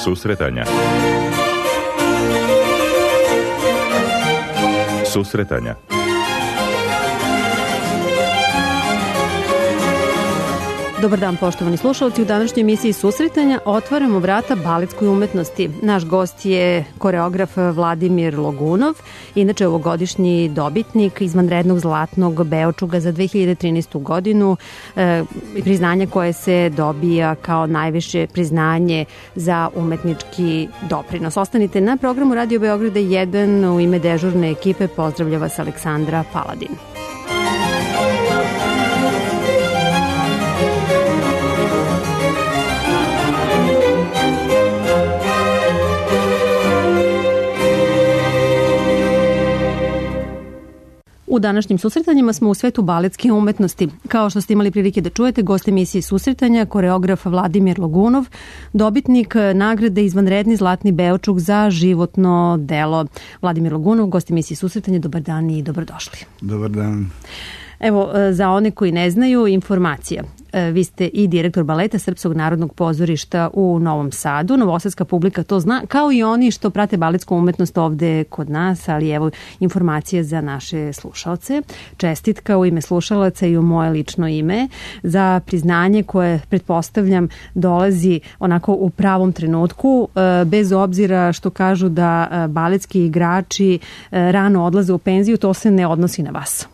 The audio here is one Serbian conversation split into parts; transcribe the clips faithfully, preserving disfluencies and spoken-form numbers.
Susretanja. Susretanja. Dobar dan, poštovani slušalci. U današnjoj emisiji Susretanja otvaramo vrata baletskoj umetnosti. Naš gost je koreograf Vladimir Logunov, inače ovogodišnji dobitnik izvanrednog zlatnog Beočuga za dve hiljade trinaestu godinu, e, priznanje koje se dobija kao najviše priznanje za umetnički doprinos. Ostanite na programu Radio Beograda jedan. U ime dežurne ekipe pozdravlja vas Aleksandra Paladin. U današnjim susretanjima smo u svetu baletske umetnosti. Kao što ste imali prilike da čujete, gost emisije Susretanja, koreograf Vladimir Logunov, dobitnik nagrade izvanredni zlatni Beočuk za životno delo. Vladimir Logunov, gost emisije Susretanja, dobar dan i dobrodošli. Dobar dan. Evo, za one koji ne znaju, informacija. Vi ste i direktor baleta Srpskog narodnog pozorišta u Novom Sadu. Novosadska publika to zna, kao i oni što prate baletsku umetnost ovde kod nas, ali evo informacija za naše slušalce. Čestitka u ime slušalaca i u moje lično ime za priznanje koje, pretpostavljam, dolazi onako u pravom trenutku, bez obzira što kažu da baletski igrači rano odlaze u penziju, to se ne odnosi na vas.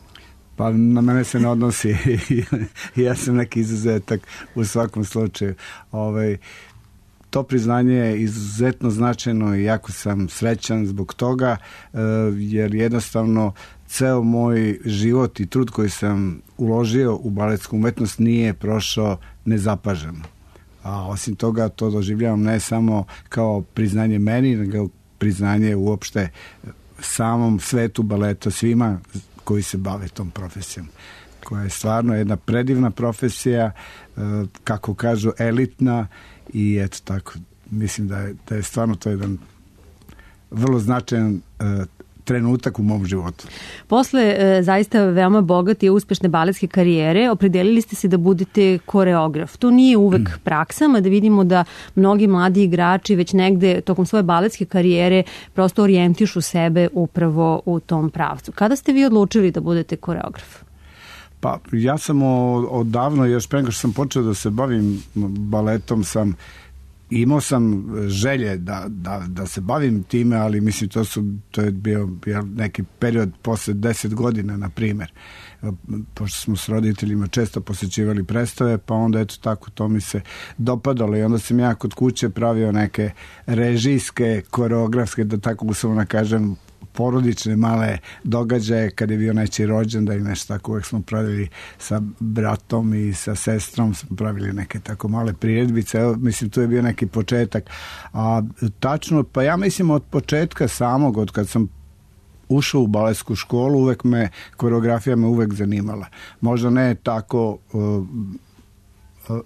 Pa na mene se ne odnosi. Ja sam neki izuzetak u svakom slučaju. Ovaj, to priznanje je izuzetno značajno i jako sam srećan zbog toga, jer jednostavno ceo moj život i trud koji sam uložio u baletsku umetnost nije prošao nezapaženo. A osim toga to doživljavam ne samo kao priznanje meni, nego priznanje uopšte samom svetu baleta, svima koji se bave tom profesijom, koja je stvarno jedna predivna profesija, kako kažu elitna, i eto tako, mislim da je, da je stvarno to jedan vrlo značajan trenutak u mom životu. Posle e, zaista veoma bogate i uspešne baletske karijere opredelili ste se da budete koreograf. To nije uvek mm. praksa, mada vidimo da mnogi mladi igrači već negde tokom svoje baletske karijere prosto orijentišu sebe upravo u tom pravcu. Kada ste vi odlučili da budete koreograf? Pa ja sam odavno, još pre nego što sam počeo da se bavim baletom, sam imao sam želje da, da, da se bavim time, ali mislim to su to je bio neki period posle deset godina, na primjer, pošto smo s roditeljima često posjećivali predstave, pa onda eto tako to mi se dopadalo i onda sam ja kod kuće pravio neke režijske, koreografske, da tako uslovno kažem, porodične male događaje kad je bio nečiji rođendan i nešto tako. Uvijek smo pravili sa bratom i sa sestrom, smo pravili neke tako male priredbice. Evo, mislim, tu je bio neki početak. A tačno, pa ja mislim od početka samog, od kad sam ušao u baletsku školu, uvek me, koreografija me uvek zanimala. Možda ne tako uh, uh,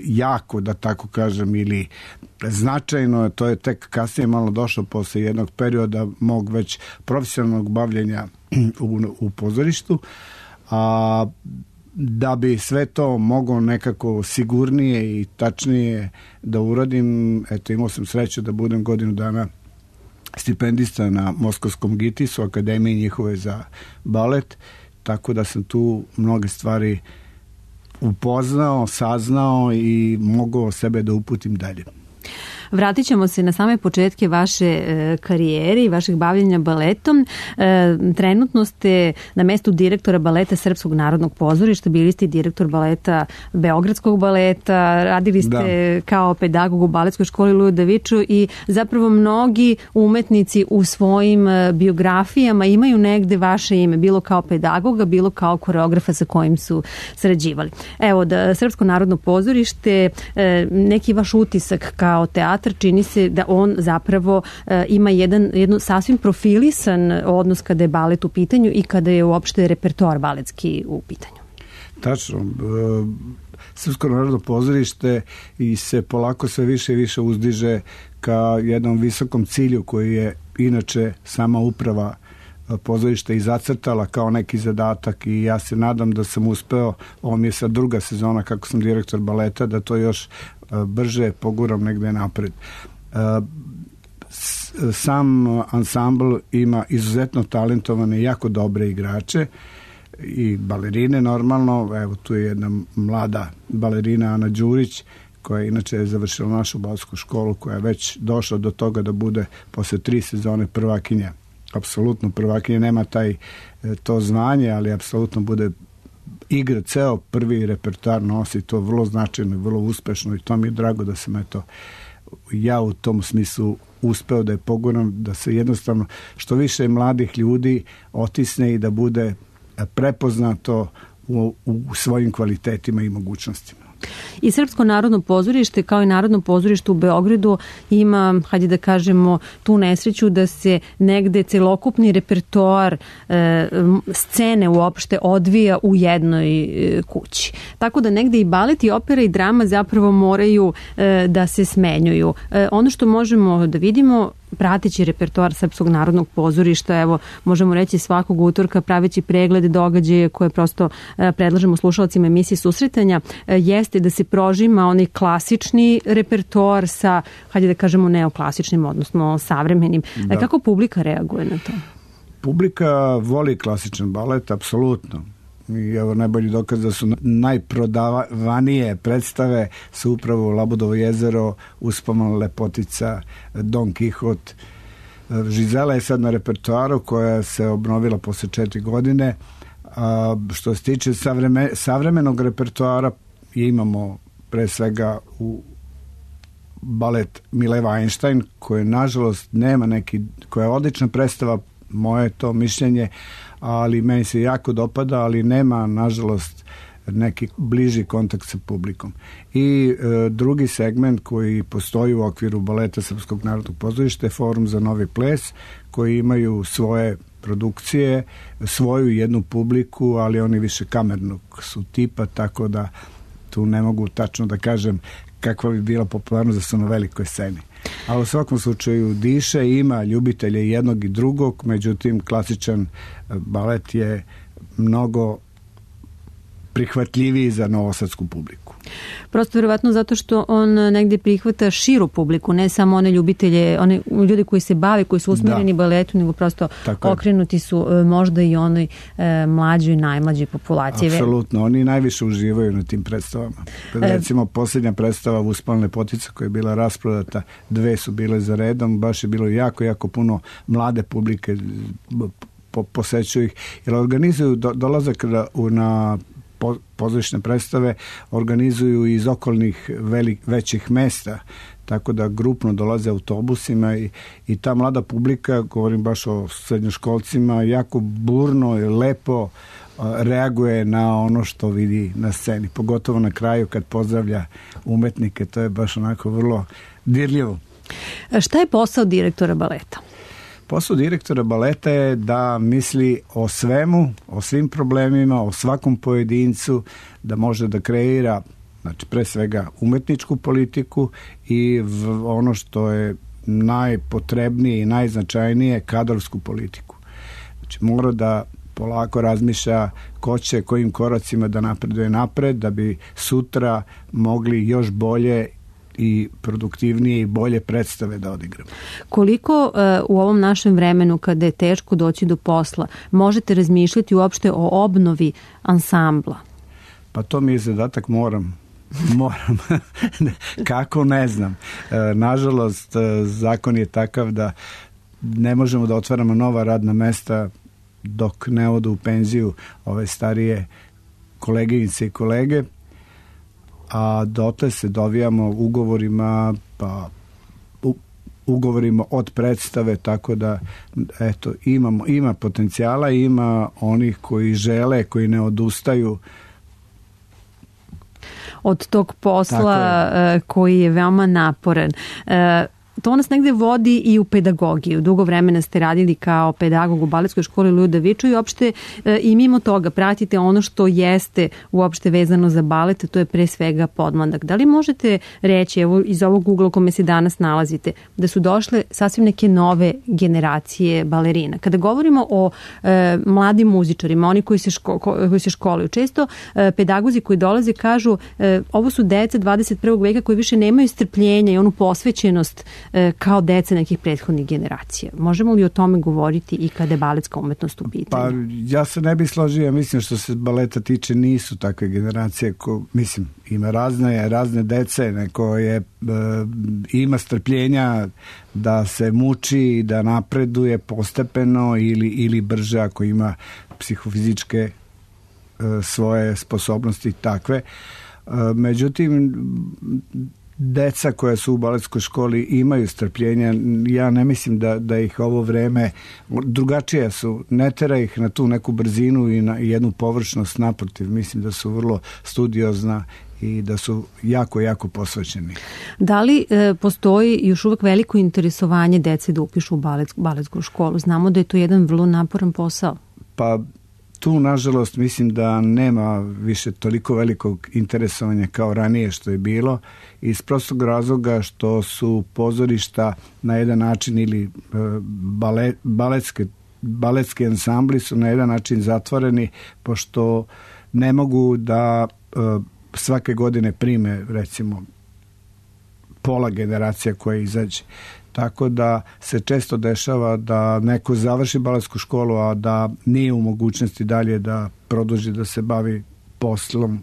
jako, da tako kažem, ili značajno, to je tek kasnije malo došlo posle jednog perioda mog već profesionalnog bavljenja u, u pozorištu, a da bi sve to moglo nekako sigurnije i tačnije da uradim, eto, imao sam sreću da budem godinu dana stipendista na Moskovskom Gitisu, akademiji njihove za balet, tako da sam tu mnoge stvari upoznao, saznao i mogao sebe da uputim dalje. Vratit ćemo se na same početke vaše e, karijere i vašeg bavljenja baletom. E, trenutno ste na mestu direktora baleta Srpskog narodnog pozorišta, bili ste direktor baleta Beogradskog baleta, radili ste da. kao pedagog u baletskoj školi Lujo Davičo i zapravo mnogi umetnici u svojim biografijama imaju negde vaše ime, bilo kao pedagoga, bilo kao koreografa sa kojim su sarađivali. Evo, da Srpsko narodno pozorište, e, neki vaš utisak kao teatr, čini se da on zapravo e, ima jedan, jednu sasvim profilisan odnos kada je balet u pitanju i kada je uopšte repertoar baletski u pitanju. Tačno. E, Srpsko narodno pozorište i se polako sve više i više uzdiže ka jednom visokom cilju koji je inače sama uprava pozorišta i zacrtala kao neki zadatak, i ja se nadam da sam uspeo, ovo mi je sad druga sezona kako sam direktor baleta, da to još brže poguram negde napred. Sam ansambl ima izuzetno talentovane i jako dobre igrače i balerine normalno. Evo tu je jedna mlada balerina Ana Đurić koja je inače završila našu baletsku školu, koja je već došla do toga da bude posle tri sezone prvakinja. Apsolutno prvakinja, nema taj to zvanje, ali apsolutno bude igra, ceo prvi repertoar nosi to vrlo značajno i vrlo uspešno i to mi je drago da sam eto ja u tom smislu uspeo da je poguram, da se jednostavno što više mladih ljudi otisne i da bude prepoznato u, u svojim kvalitetima i mogućnostima. I Srpsko narodno pozorište kao i Narodno pozorište u Beogradu ima, hajde da kažemo, tu nesreću da se negde celokupni repertoar e, scene uopšte odvija u jednoj e, kući. Tako da negde i balet i opera i drama zapravo moraju e, da se smenjuju. E, ono što možemo da vidimo prateći repertoar Srpskog narodnog pozorišta, evo, možemo reći svakog utorka praveći pregled događaja koje prosto e, predlažemo slušalcima emisije Susretanja, e, jeste da se prožima onaj klasični repertoar sa, hajde da kažemo, neoklasičnim, odnosno savremenim. Da. E, kako publika reaguje na to? Publika voli klasičan balet, apsolutno. I evo najbolji dokaz da su najprodavanije predstave su upravo Labudovo jezero, Uspomena lepotica, Don Kihot. Žizela je sad na repertoaru koja se obnovila posle četiri godine. A što se tiče savreme, savremenog repertoara, imamo pre svega u balet Mileva Einstein, koji nažalost nema neki, koja je odlična predstava, moje to mišljenje, ali meni se jako dopada, ali nema nažalost neki bliži kontakt sa publikom. I e, drugi segment koji postoji u okviru baleta Srpskog narodnog pozorišta je Forum za novi ples, koji imaju svoje produkcije, svoju jednu publiku, ali oni više kamernog su tipa, tako da tu ne mogu tačno da kažem kakva bi bila popularnost da su na velikoj sceni. Ali u svakom slučaju diše, ima ljubitelje jednog i drugog, međutim klasičan balet je mnogo prihvatljiviji za novosadsku publiku. Prosto vjerovatno zato što on negdje prihvata širu publiku, ne samo one ljubitelje, one ljudi koji se bave, koji su usmjereni da. baletu, nego prosto tako okrenuti su možda i onoj e, mlađoj, najmlađoj populaciji. Apsolutno, oni najviše uživaju na tim predstavama. Recimo, posljednja predstava Uspomena lepotica koja je bila rasprodata, dve su bile za redom, baš je bilo jako, jako puno mlade publike, po, posećuju ih, jer organizuju do, dolazak na, na pozorišne predstave, organizuju iz okolnih velik, većih mesta, tako da grupno dolaze autobusima i, i ta mlada publika, govorim baš o srednjoškolcima, jako burno i lepo reaguje na ono što vidi na sceni, pogotovo na kraju kad pozdravlja umetnike, to je baš onako vrlo dirljivo. Šta je posao direktora baleta? Posao direktora baleta je da misli o svemu, o svim problemima, o svakom pojedincu, da može da kreira, znači pre svega umetničku politiku i v, ono što je najpotrebnije i najznačajnije, kadrovsku politiku. Znači mora da polako razmišlja ko će, kojim koracima da napreduje napred, da bi sutra mogli još bolje i produktivnije i bolje predstave da odigramo. Koliko uh, u ovom našem vremenu kada je teško doći do posla možete razmišljati uopšte o obnovi ansambla? Pa to mi je zadatak, moram. Moram. Kako, ne znam. E, nažalost, zakon je takav da ne možemo da otvaramo nova radna mesta dok ne odu u penziju ove starije koleginice i kolege, a dotle se dovijamo ugovorima, pa u, ugovorima od predstave, tako da eto, imamo, ima potencijala, ima onih koji žele, koji ne odustaju od tog posla koji je veoma naporan. To nas negde vodi i u pedagogiju. Dugo vremena ste radili kao pedagog u baletskoj školi Lujo Davičo i uopšte e, i mimo toga pratite ono što jeste uopšte vezano za balet, to je pre svega podmladak. Da li možete reći, evo iz ovog ugla u kome se danas nalazite, da su došle sasvim neke nove generacije balerina? Kada govorimo o e, mladim muzičarima, oni koji se, ško, koji se školuju, često e, pedagozi koji dolaze kažu e, ovo su deca dvadeset prvog veka koji više nemaju strpljenja i onu posvećenost kao dece nekih prethodnih generacija. Možemo li o tome govoriti i kada je baletska umetnost u pitanju? Pa ja se ne bih složio, mislim što se baleta tiče nisu takve generacije, ko, mislim ima razne, razne dece, neko je, e, ima strpljenja da se muči, da napreduje postepeno ili, ili brže ako ima psihofizičke e, svoje sposobnosti takve. E, međutim, deca koja su u baletskoj školi imaju strpljenja, ja ne mislim da, da ih ovo vreme drugačije su, ne tera ih na tu neku brzinu i na jednu površnost, naprotiv, mislim da su vrlo studiozna i da su jako, jako posvećeni. Da li e, postoji još uvek veliko interesovanje dece da upišu u balet, baletsku školu? Znamo da je to jedan vrlo naporan posao. Pa tu, nažalost, mislim da nema više toliko velikog interesovanja kao ranije što je bilo, iz prostog razloga što su pozorišta na jedan način ili balet, baletske, baletski ansambli su na jedan način zatvoreni, pošto ne mogu da svake godine prime, recimo, pola generacija koja izađe. Tako da se često dešava da neko završi baletsku školu, a da nije u mogućnosti dalje da produži da se bavi poslom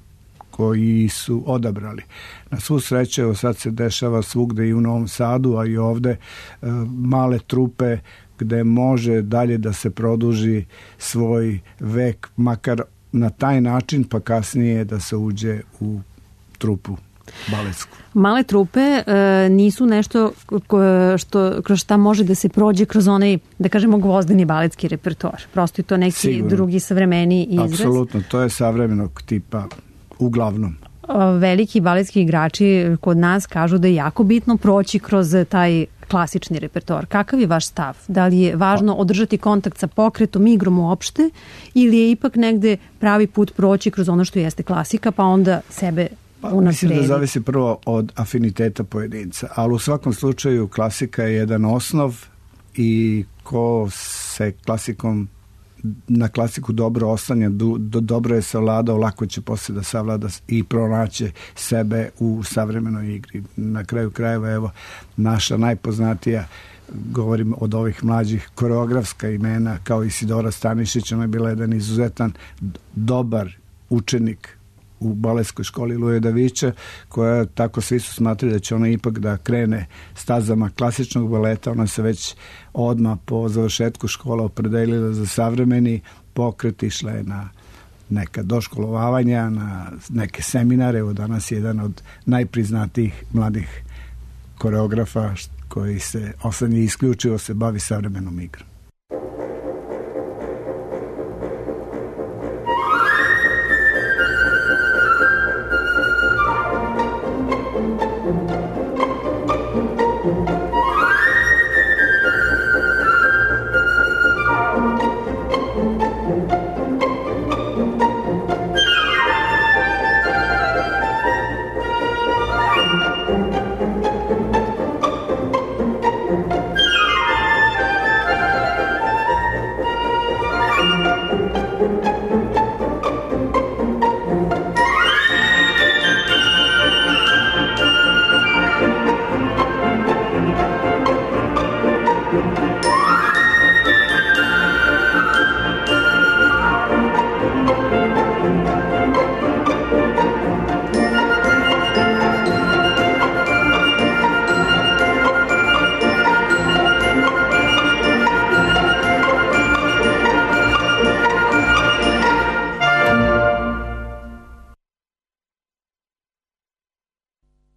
koji su odabrali. Na svu sreću, evo sad se dešava svugde i u Novom Sadu, a i ovde, male trupe gde može dalje da se produži svoj vek, makar na taj način, pa kasnije da se uđe u trupu baletsku. Male trupe e, nisu nešto što, kroz šta može da se prođe kroz onaj, da kažemo, gvozdeni baletski repertoar. Prosto je to neki Sigurno. drugi savremeni izraz. Apsolutno, to je savremenog tipa, uglavnom. Veliki baletski igrači kod nas kažu da je jako bitno proći kroz taj klasični repertoar. Kakav je vaš stav? Da li je važno održati kontakt sa pokretom, igrom uopšte, ili je ipak negde pravi put proći kroz ono što jeste klasika, pa onda sebe Pa, mislim da zavisi prvo od afiniteta pojedinca, ali u svakom slučaju klasika je jedan osnov i ko se klasikom na klasiku dobro oslanja, do, do, dobro je savladao, lako će posle da savlada i pronaće sebe u savremenoj igri. Na kraju krajeva, evo, naša najpoznatija, govorim od ovih mlađih, koreografska imena kao Isidora Stanišić, ona je bila jedan izuzetan dobar učenik u baletskoj školi Luje Davića, koja tako svi su smatrali da će ona ipak da krene stazama klasičnog baleta. Ona se već odmah po završetku škola opredelila za savremeni pokret, išla je na neka doškolovavanja, na neke seminare. Evo danas je jedan od najpriznatijih mladih koreografa koji se oslanja isključivo se bavi savremenom igrom.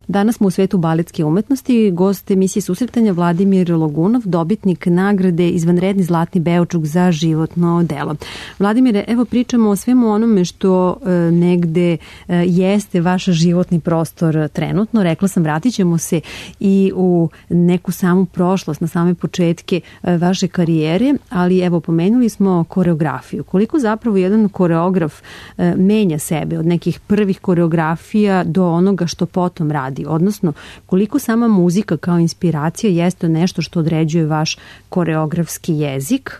Danas smo u svetu baletske umetnosti. Gost emisije Susretanja Vladimir Logunov, dobitnik nagrade Izvanredni zlatni Beočuk za životno delo. Vladimire, evo pričamo o svemu onome što e, negde e, jeste vaš životni prostor trenutno. Rekla sam, vratit ćemo se i u neku samu prošlost, na same početke e, vaše karijere, ali evo pomenuli smo koreografiju. Koliko zapravo jedan koreograf e, menja sebe od nekih prvih koreografija do onoga što potom radi? Odnosno, koliko sama muzika kao inspiracija jeste nešto što određuje vaš koreografski jezik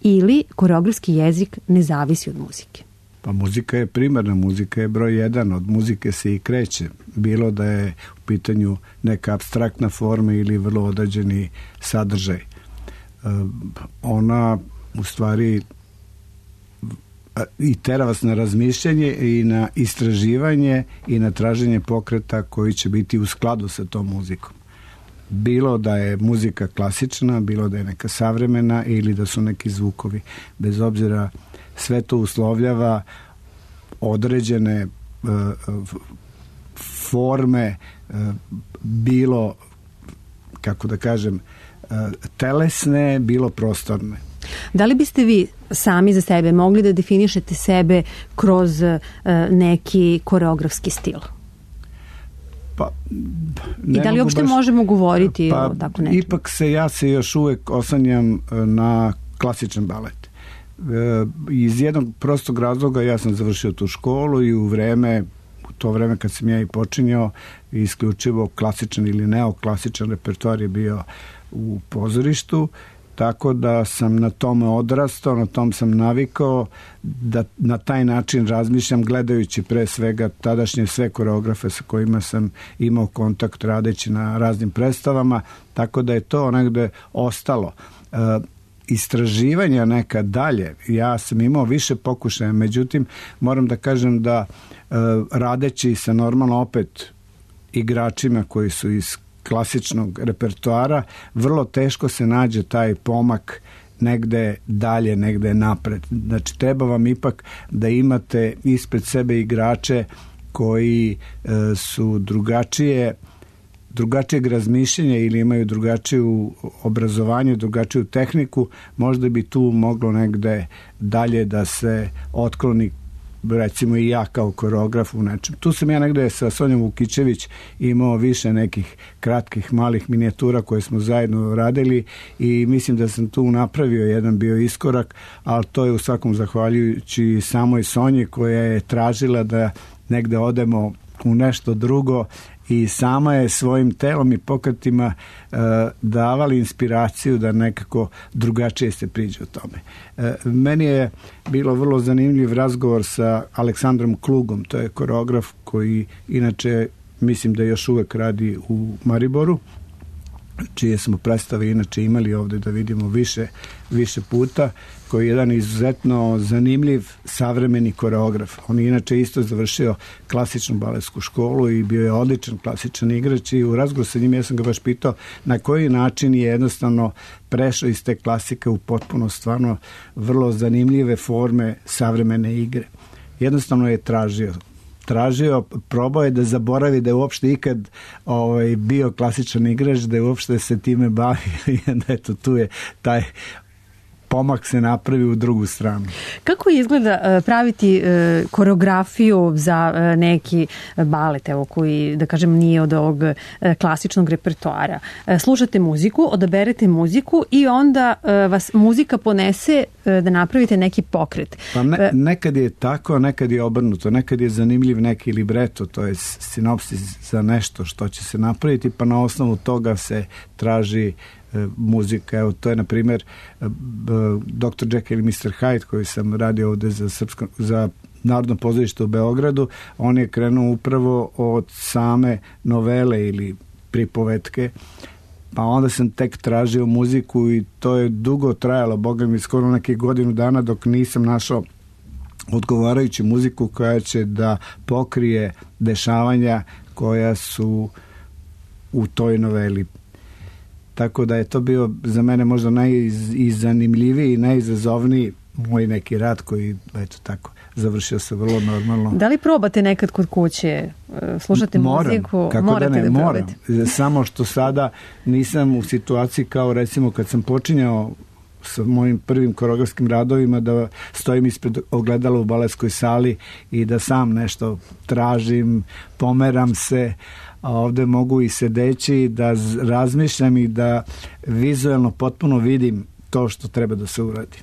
ili koreografski jezik ne zavisi od muzike? Pa muzika je primarna, muzika je broj jedan, od muzike se i kreće. Bilo da je u pitanju neka apstraktna forma ili vrlo određeni sadržaj. Ona u stvari i tera vas na razmišljanje i na istraživanje i na traženje pokreta koji će biti u skladu sa tom muzikom. Bilo da je muzika klasična, bilo da je neka savremena ili da su neki zvukovi. Bez obzira, sve to uslovljava određene uh, forme, uh, bilo, kako da kažem, uh, telesne, bilo prostorne. Da li biste vi sami za sebe mogli da definišete sebe kroz uh, neki koreografski stil? Pa, I da li uopšte baš, možemo govoriti pa, o tako nečem? Ipak se ja se još uvek oslanjam na klasičan balet. E, iz jednog prostog razloga ja sam završio tu školu i u vreme, u to vreme kad sam ja i počinjao, isključivo klasičan ili neoklasičan repertoar je bio u pozorištu, tako da sam na tome odrastao, na tom sam navikao da na taj način razmišljam, gledajući pre svega tadašnje sve koreografe sa kojima sam imao kontakt radeći na raznim predstavama, tako da je to negde ostalo. E, istraživanja neka dalje, ja sam imao više pokušaja, međutim moram da kažem da e, radeći sa normalno opet igračima koji su iz klasičnog repertoara, vrlo teško se nađe taj pomak negde dalje, negde napred. Znači, treba vam ipak da imate ispred sebe igrače koji e, su drugačije drugačijeg razmišljenja ili imaju drugačiju obrazovanje, drugačiju tehniku, možda bi tu moglo negde dalje da se otkloni, recimo i ja kao koreograf u nečem. Tu sam ja negde sa Sonjom Vukićević imao više nekih kratkih malih minijatura koje smo zajedno radili i mislim da sam tu napravio jedan bio iskorak, ali to je u svakom zahvaljujući samoj Sonji koja je tražila da negde odemo u nešto drugo i sama je svojim telom i pokretima e, davali inspiraciju da nekako drugačije se priđe o tome. E, meni je bilo vrlo zanimljiv razgovor sa Aleksandrom Klugom, to je koreograf koji inače mislim da još uvek radi u Mariboru, čije smo predstave inače imali ovde da vidimo više, više puta, koji je jedan izuzetno zanimljiv savremeni koreograf. On je inače isto završio klasičnu baletsku školu i bio je odličan klasičan igrač i u razgovoru sa njim ja sam ga baš pitao na koji način je jednostavno prešao iz te klasike u potpuno stvarno vrlo zanimljive forme savremene igre. Jednostavno je tražio tražio, probao je da zaboravi da je uopšte ikad ovaj, bio klasičan igrač, da je uopšte se time bavio i da eto tu je taj pomak se napravi u drugu stranu. Kako izgleda praviti koreografiju za neki balet, evo, koji, da kažem, nije od ovog klasičnog repertoara? Slušate muziku, odaberete muziku i onda vas muzika ponese da napravite neki pokret. Pa ne, nekad je tako, nekad je obrnuto, nekad je zanimljiv neki libreto, to je sinopsis za nešto što će se napraviti, pa na osnovu toga se traži muzika. Evo, to je, na primjer, doktor Jekyll i mister Hyde, koji sam radio ovde za, srpsko, za Narodno pozorište u Beogradu. On je krenuo upravo od same novele ili pripovetke, pa onda sam tek tražio muziku i to je dugo trajalo, boga mi, skoro nekih godinu dana dok nisam našao odgovarajuću muziku koja će da pokrije dešavanja koja su u toj noveli. Tako da je to bio za mene možda najzanimljiviji i najizazovniji moj neki rad koji, eto tako, završio se vrlo normalno. Da li probate nekad kod kuće, slušate moram, muziku? Kako morate da ne, da moram. Samo što sada nisam u situaciji kao recimo kad sam počinjao sa mojim prvim koreografskim radovima da stojim ispred ogledala u baletskoj sali i da sam nešto tražim, pomeram se, a ovde mogu i sedeći da razmišljam i da vizuelno potpuno vidim to što treba da se uradi.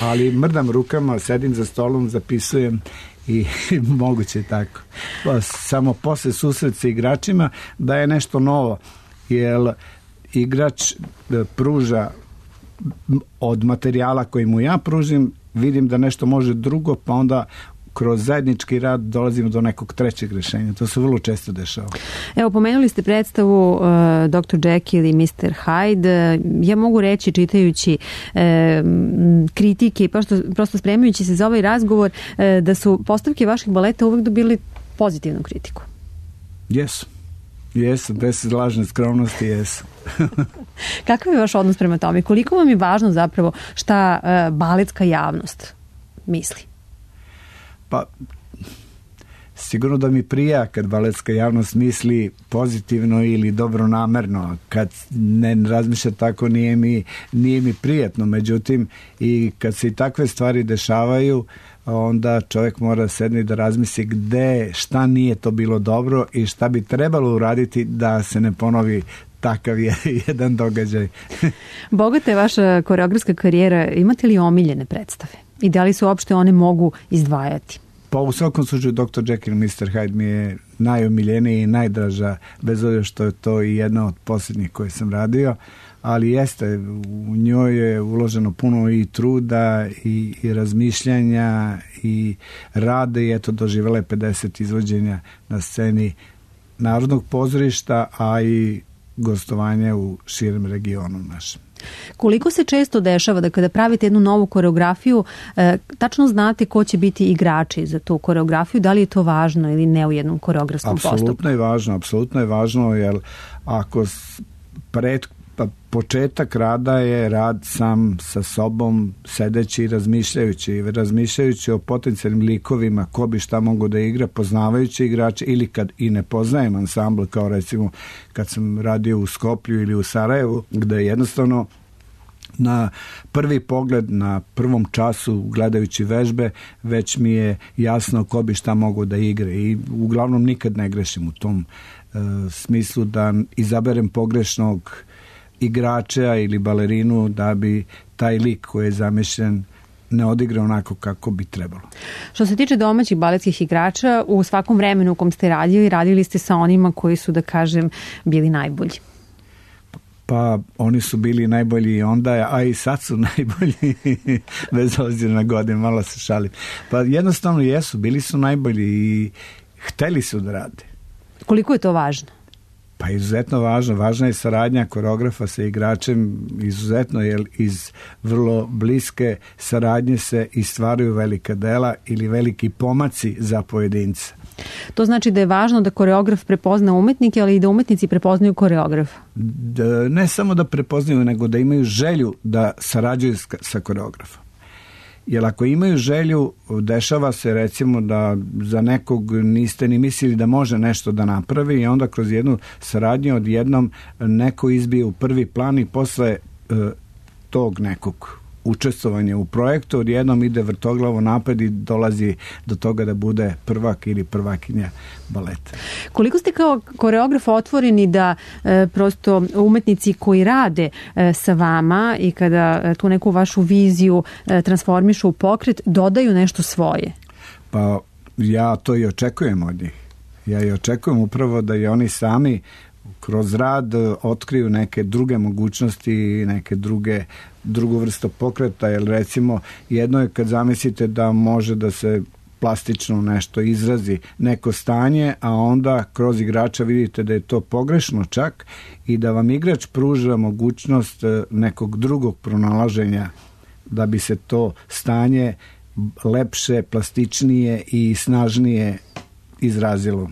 Ali mrdam rukama, sedim za stolom, zapisujem i moguće je tako. Pa, samo posle susret sa igračima da je nešto novo, jer igrač pruža od materijala koji mu ja pružim, vidim da nešto može drugo, pa onda kroz zajednički rad dolazimo do nekog trećeg rešenja. To se vrlo često dešava. Evo, pomenuli ste predstavu uh, doktor Jekyll i mister Hyde. Ja mogu reći, čitajući uh, kritike i prosto, prosto spremajući se za ovaj razgovor, uh, da su postavke vaših baleta uvek dobili pozitivnu kritiku. Jesu. Jesu, bez lažne skromnosti, jesu. Kakav je vaš odnos prema tome? Koliko vam je važno zapravo šta uh, baletska javnost misli? Pa, sigurno da mi prija kad baletska javnost misli pozitivno ili dobronamerno. Kad ne razmišlja tako, nije mi, nije mi prijatno. Međutim, i kad se i takve stvari dešavaju, onda čovjek mora sedni da razmisli gde, šta nije to bilo dobro i šta bi trebalo uraditi da se ne ponovi takav je jedan događaj. Bogata je vaša koreografska karijera. Imate li omiljene predstave? I da li se uopšte one mogu izdvajati? Pa u svakom slučaju doktor Jekyll i mister Hyde mi je najomiljeniji i najdraža, bez obzira što je to i jedna od posljednjih koje sam radio, ali jeste, u njoj je uloženo puno i truda i, i razmišljanja i rada i eto doživjela je pedeset izvođenja na sceni Narodnog pozorišta, a i gostovanje u širem regionu našem. Koliko se često dešava da kada pravite jednu novu koreografiju, e, tačno znate ko će biti igrači za tu koreografiju, da li je to važno ili ne u jednom koreografskom postupku? Apsolutno je važno, apsolutno je važno, jer ako pred, pa početak rada je rad sam sa sobom, sedeći i razmišljajući, razmišljajući o potencijalnim likovima, ko bi šta mogu da igra, poznavajući igrače, ili kad i ne poznajem ansambl, kao recimo kad sam radio u Skoplju ili u Sarajevu, gde jednostavno na prvi pogled, na prvom času gledajući vežbe, već mi je jasno ko bi šta mogu da igre i uglavnom nikad ne grešim u tom e, smislu da izaberem pogrešnog igrača ili balerinu da bi taj lik koji je zamišljen ne odigra onako kako bi trebalo. Što se tiče domaćih baletskih igrača, u svakom vremenu u kom ste radili, radili ste sa onima koji su, da kažem, bili najbolji. Pa oni su bili najbolji i onda, a i sad su najbolji, bez obzira na godine, malo se šalim. Pa jednostavno jesu, bili su najbolji i hteli su da rade. Koliko je to važno? Pa izuzetno važno. Važna je saradnja koreografa sa igračem, izuzetno, jer iz vrlo bliske saradnje se i stvaraju velika dela ili veliki pomaci za pojedinca. To znači da je važno da koreograf prepozna umetnike, ali i da umetnici prepoznaju koreografa. Da, ne samo da prepoznaju, nego da imaju želju da sarađuju sa koreografom. Jer ako imaju želju, dešava se recimo da za nekog niste ni mislili da može nešto da napravi i onda kroz jednu saradnju odjednom neko izbije u prvi plan i posle e, tog nekog učestvovanja u projektu odjednom ide vrtoglavo napred i dolazi do toga da bude prvak ili prvakinja baleta. Koliko ste kao koreograf otvoreni da e, prosto umetnici koji rade e, sa vama i kada e, tu neku vašu viziju e, transformišu u pokret, dodaju nešto svoje? Pa ja to i očekujem od njih. Ja i očekujem upravo da i oni sami kroz rad otkriju neke druge mogućnosti, neke druge drugu vrstu pokreta, jer recimo jedno je kad zamislite da može da se plastično nešto izrazi, neko stanje, a onda kroz igrača vidite da je to pogrešno čak i da vam igrač pruža mogućnost nekog drugog pronalaženja da bi se to stanje lepše, plastičnije i snažnije izrazilo.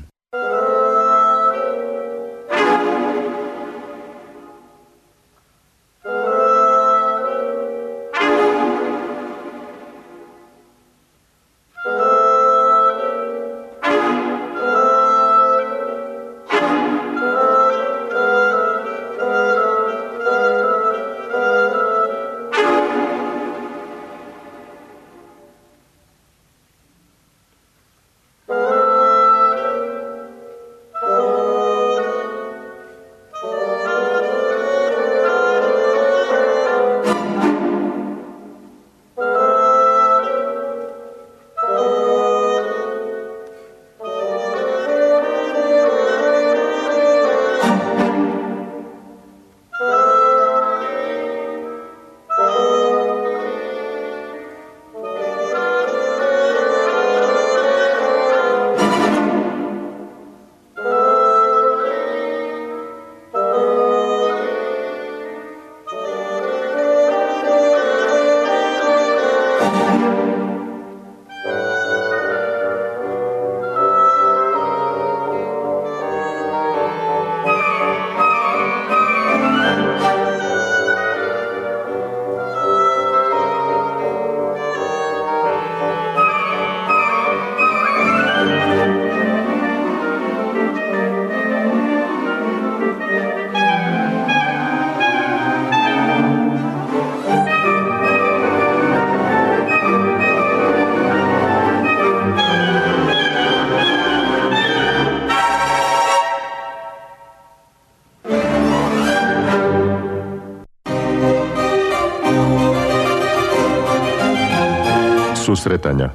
Susretanja.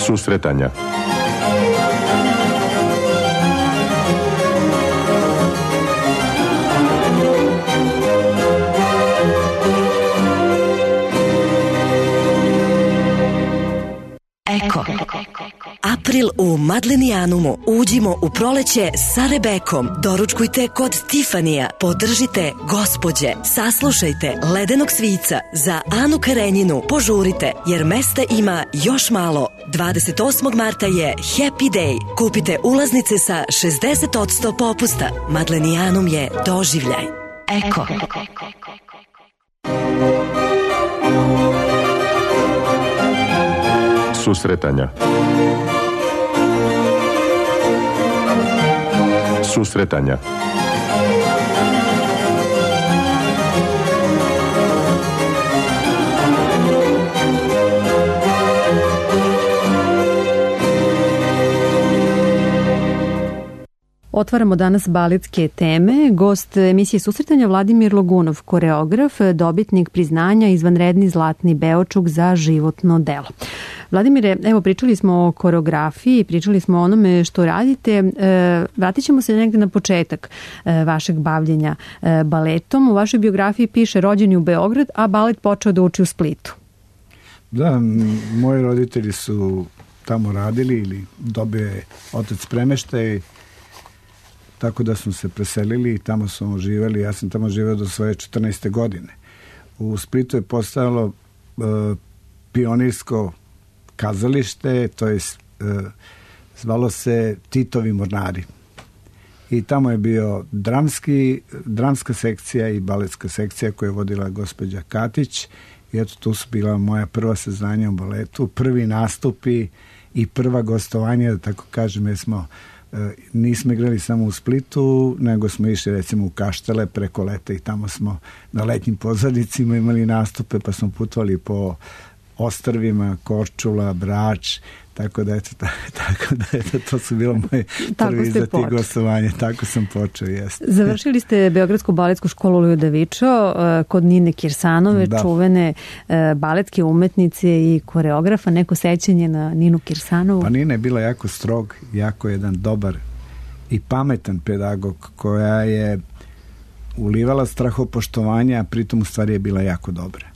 Susretanja. Eko. April u Madlenijanumu. Uđimo u proleće sa Rebekom. Doručkujte kod Tifanija. Podržite gospođe. Saslušajte Ledenog svica. Za Anu Karenjinu požurite jer mesta ima još malo. dvadeset osmog marta je Happy Day. Kupite ulaznice sa šezdeset posto popusta. Madlenijanum je doživljaj. Eko. Susretanja. Susretanja. Otvaramo danas baletske teme. Gost emisije Susretanja Vladimir Logunov, koreograf, dobitnik priznanja izvanredni zlatni Beočuk za životno delo. Vladimire, evo pričali smo o koreografiji, pričali smo o onome što radite. E, vratit ćemo se negde na početak e, vašeg bavljenja e, baletom. U vašoj biografiji piše rođeni u Beograd, a balet počeo da uči u Splitu. Da, moji roditelji su tamo radili ili dobio je otac premeštaj, tako da smo se preselili i tamo smo živeli. Ja sam tamo živeo do svoje četrnaeste godine. U Splitu je postojalo e, pionirsko kazalište, to je e, zvalo se Titovi mornari. I tamo je bio dramski, dramska sekcija i baletska sekcija koju je vodila gospođa Katić. I eto, tu su bila moja prva saznanja o baletu, prvi nastupi i prva gostovanja, da tako kažem, jer smo nismo igrali samo u Splitu, nego smo išli recimo u Kaštele preko leta i tamo smo na letnjim pozornicima imali nastupe, pa smo putovali po ostrvima, Korčula, Brač, tako da eto, tako da eto, to su bilo moje prvi izleti i gostovanje, tako sam počeo, jeste. Završili ste Beogradsku baletsku školu Lujo Davičo kod Nine Kirsanove, da. Čuvene baletske umetnice i koreografa. Neko sećanje na Ninu Kirsanovu? Pa Nina je bila jako strog, jako jedan dobar i pametan pedagog koja je ulivala strahopoštovanja, a pritom u stvari je bila jako dobra.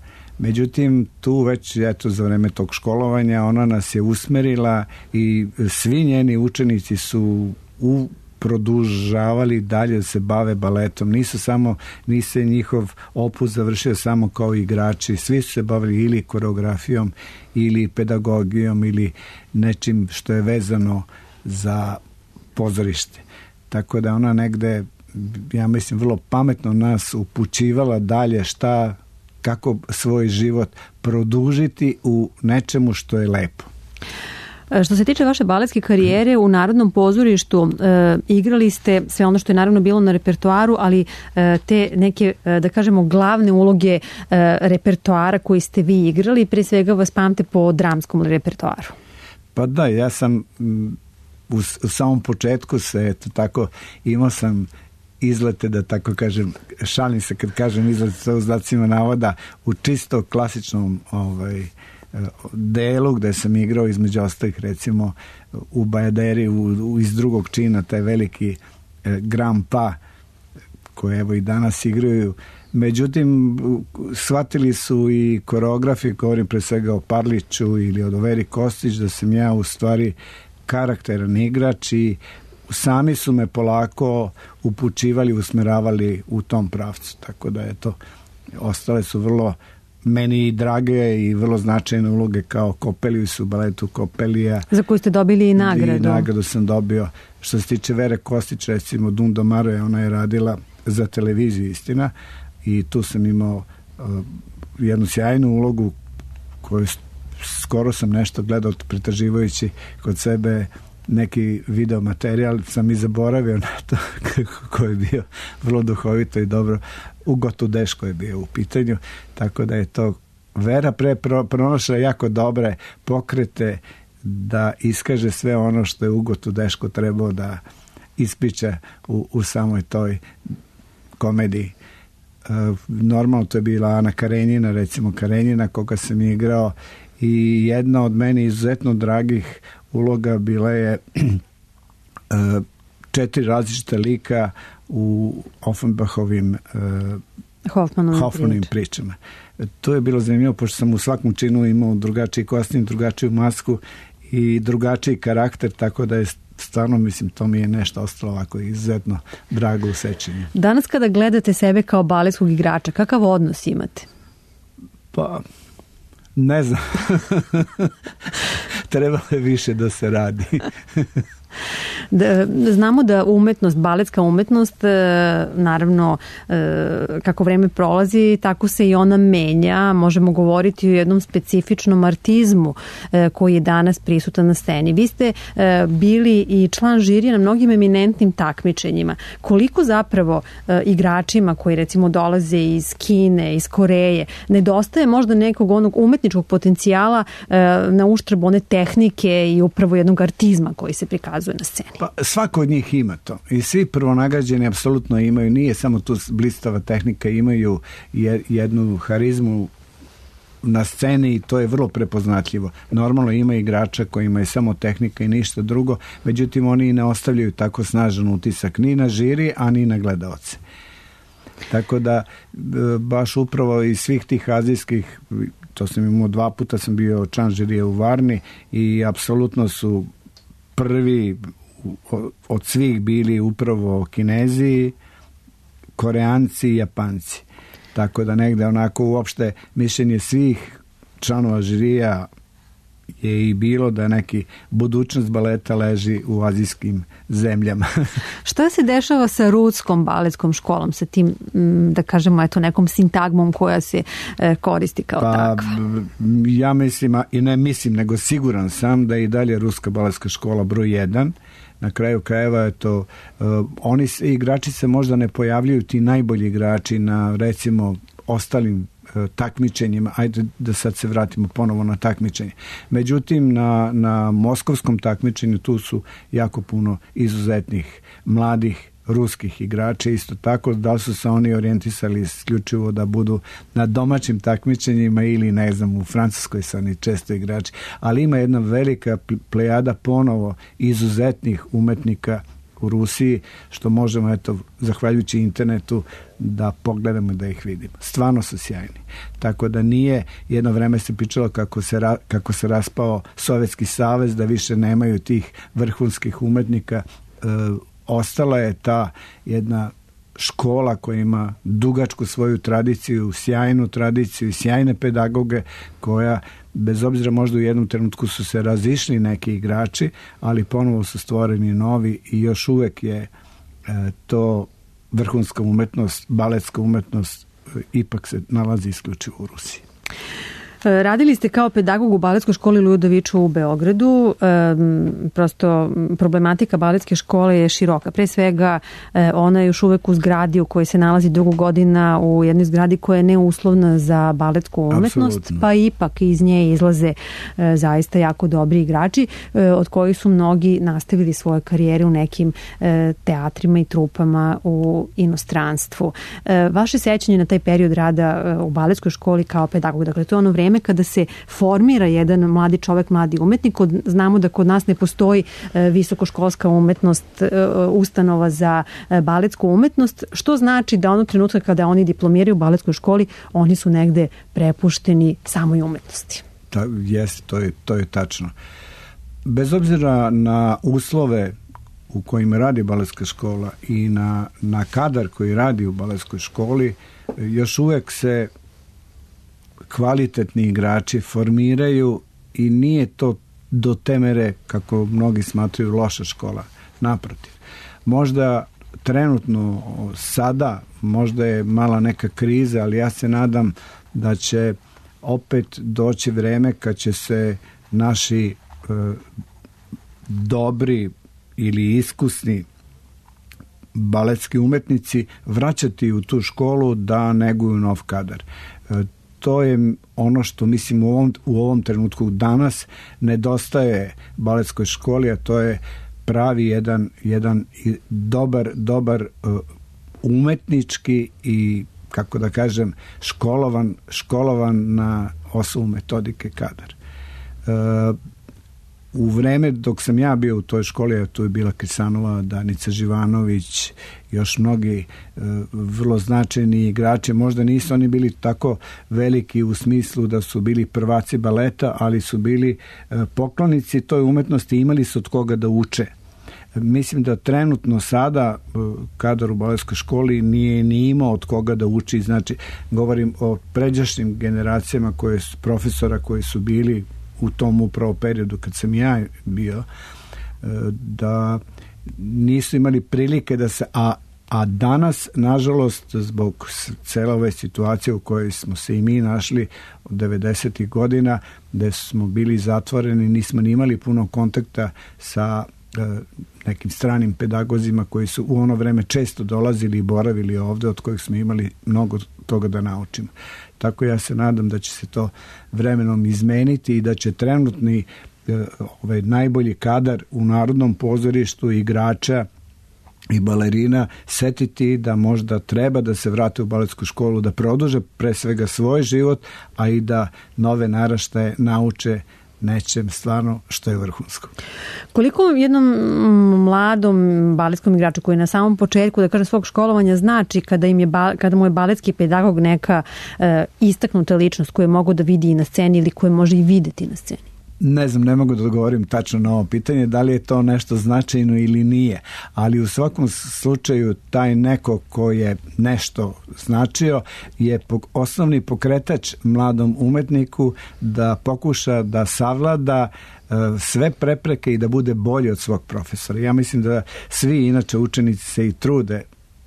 Međutim, tu već eto, za vreme tog školovanja ona nas je usmerila i svi njeni učenici su u produžavali dalje da se bave baletom. Nisu samo, nise njihov opus završio samo kao igrači. Svi su se bavili ili koreografijom ili pedagogijom ili nečim što je vezano za pozorište. Tako da ona negde, ja mislim, vrlo pametno nas upućivala dalje šta kako svoj život produžiti u nečemu što je lepo. Što se tiče vaše baletske karijere, u Narodnom pozorištu e, igrali ste sve ono što je naravno bilo na repertoaru, ali e, te neke, e, da kažemo, glavne uloge e, repertoara koji ste vi igrali, pre svega vas pamte po dramskom repertoaru. Pa da, ja sam u, u samom početku se, eto tako, imao sam izlete, da tako kažem, šalim se kad kažem izlete sa znacima navoda, u čisto klasičnom ovaj, delu gde sam igrao između ostalih recimo u Bajaderi u, u, iz drugog čina, taj veliki eh, Grand Pa koje evo i danas igraju. Međutim, shvatili su i koreografi, govorim pre svega o Parliću ili od Veri Kostić, da sam ja u stvari karakteran igrač i sami su me polako upućivali, usmeravali u tom pravcu. Tako da eto, ostale su vrlo meni drage i vrlo značajne uloge kao Kopeliju su u baletu Kopelija. Za koju ste dobili i nagradu. I nagradu sam dobio. Što se tiče Vere Kostić, recimo Dunda Maroja, ona je radila za televiziju, istina, i tu sam imao uh, jednu sjajnu ulogu koju skoro sam nešto gledao pretraživajući kod sebe neki video materijal, sam i zaboravio na to koji je bio vrlo duhovito i dobro. Ugotu Deško je bio u pitanju, tako da je to Vera pre pronašla jako dobre pokrete da iskaže sve ono što je Ugotu Deško trebao da ispriča u, u samoj toj komediji. Normalno to je bila Ana Karenjina, recimo Karenjina koga sam igrao, i jedna od meni izuzetno dragih uloga bila je četiri različita lika u Offenbachovim Hoffmanovim, Hoffmanovim pričama. To je bilo zanimljivo, pošto sam u svakom činu imao drugačiji kostim, drugačiju masku i drugačiji karakter, tako da je stvarno, mislim, to mi je nešto ostalo ovako izuzetno drago u sećanju. Danas kada gledate sebe kao baletskog igrača, kakav odnos imate? Pa, ne znam. Trebalo je više da se radi. Da, znamo da umetnost, baletska umetnost, naravno kako vreme prolazi, tako se i ona menja. Možemo govoriti o jednom specifičnom artizmu koji je danas prisutan na sceni. Vi ste bili i član žirija na mnogim eminentnim takmičenjima. Koliko zapravo igračima koji recimo dolaze iz Kine, iz Koreje, nedostaje možda nekog onog umetničkog potencijala na uštrb one tehnike i upravo jednog artizma koji se prikazuje na sceni? Pa svako od njih ima to i svi prvonagađeni apsolutno imaju, nije samo tu blistava tehnika, imaju jednu harizmu na sceni i to je vrlo prepoznatljivo. Normalno ima igrača kojima je samo tehnika i ništa drugo, međutim oni ne ostavljaju tako snažan utisak ni na žiri, a ni na gledaoce. Tako da baš upravo iz svih tih azijskih, to sam imao dva puta, sam bio član žirija u Varni i apsolutno su prvi od svih bili upravo Kinezi, Koreanci i Japanci. Tako da negde onako uopšte mišljenje svih članova žirija je i bilo da neki budućnost baleta leži u azijskim zemljama. Šta se dešava sa Ruskom baletskom školom, sa tim, da kažemo, eto, nekom sintagmom koja se koristi kao pa, takva? Ja mislim, i ne mislim, nego siguran sam da je i dalje Ruska baletska škola broj jedan. Na kraju krajeva je to, uh, oni igrači se možda ne pojavljuju, ti najbolji igrači na recimo ostalim uh, takmičenjima, ajde da sad se vratimo ponovo na takmičenje. Međutim, na, na moskovskom takmičenju tu su jako puno izuzetnih mladih ruskih igrača, isto tako da li su se oni orijentisali isključivo da budu na domaćim takmičenjima ili ne znam u Francuskoj su oni često igrači, ali ima jedna velika plejada ponovo izuzetnih umetnika u Rusiji, što možemo, eto, zahvaljujući internetu da pogledamo i da ih vidimo. Stvarno su sjajni. Tako da nije, jedno vreme se pričalo kako se, ra, kako se raspao Sovjetski savez, da više nemaju tih vrhunskih umetnika. E, ostala je ta jedna škola koja ima dugačku svoju tradiciju, sjajnu tradiciju i sjajne pedagoge koja, bez obzira možda u jednom trenutku su se razišli neki igrači, ali ponovo su stvoreni novi i još uvek je e, to vrhunska umetnost, baletska umetnost e, ipak se nalazi isključivo u Rusiji. Radili ste kao pedagog u baletskoj školi Ludoviču u Beogradu. E, prosto problematika baletske škole je široka. Pre svega e, ona je još uvek u zgradi u kojoj se nalazi dugo godina, u jednoj zgradi koja je neuslovna za baletsku umetnost, Absolutno. Pa ipak iz nje izlaze e, zaista jako dobri igrači, e, od kojih su mnogi nastavili svoje karijere u nekim e, teatrima i trupama u inostranstvu. E, vaše sećanje na taj period rada e, u baletskoj školi kao pedagog, dakle to je ono vreme kada se formira jedan mladi čovek, mladi umetnik. Znamo da kod nas ne postoji visokoškolska umetnost, ustanova za baletsku umetnost, što znači da ono trenutka kada oni diplomiraju u baletskoj školi, oni su negde prepušteni samoj umetnosti. Ta, jest, to je, to je tačno. Bez obzira na uslove u kojima radi baletska škola i na, na kadar koji radi u baletskoj školi, još uvek se kvalitetni igrači formiraju i nije to do te mere, kako mnogi smatraju, loša škola. Naprotiv. Možda trenutno sada, možda je mala neka kriza, ali ja se nadam da će opet doći vreme kad će se naši e, dobri ili iskusni baletski umetnici vraćati u tu školu da neguju nov kadar. E, To je ono što mislim u ovom, u ovom trenutku danas nedostaje baletskoj školi, a to je pravi jedan, jedan dobar, dobar uh, umetnički i kako da kažem, školovan, školovan na osnovu metodike kadar. E, u vreme dok sam ja bio u toj školi, tu je bila Krisanova, Danica Živanović, još mnogi e, vrlo značajni igrači, možda nisu oni bili tako veliki u smislu da su bili prvaci baleta, ali su bili e, poklonici toj umetnosti, imali su od koga da uče. Mislim da trenutno sada kadar u baletskoj školi nije ni imao od koga da uči, znači govorim o pređašnjim generacijama koje su, profesora koji su bili u tom upravo periodu kad sam ja bio, da nisu imali prilike da se, a, a danas nažalost zbog cele ove situacije u kojoj smo se i mi našli od devedesetih godina, gde smo bili zatvoreni, nismo ni imali puno kontakta sa nekim stranim pedagozima koji su u ono vreme često dolazili i boravili ovde, od kojih smo imali mnogo toga da naučimo. Tako ja se nadam da će se to vremenom izmeniti i da će trenutni ovaj, najbolji kadar u Narodnom pozorištu, igrača i balerina setiti da možda treba da se vrate u baletsku školu, da produže pre svega svoj život, a i da nove naraštaje nauče nečem stvarno što je vrhunsko. Koliko jednom mladom baletskom igraču koji je na samom početku, da kažem, svog školovanja znači kada, im je, kada mu je baletski pedagog neka e, istaknuta ličnost koju mogu da vidi i na sceni ili koju može i videti na sceni? Ne znam, ne mogu da odgovorim tačno na ovo pitanje, da li je to nešto značajno ili nije, ali u svakom slučaju taj neko ko je nešto značio je osnovni pokretač mladom umetniku da pokuša da savlada sve prepreke i da bude bolji od svog profesora. Ja mislim da svi inače učenici se i trude,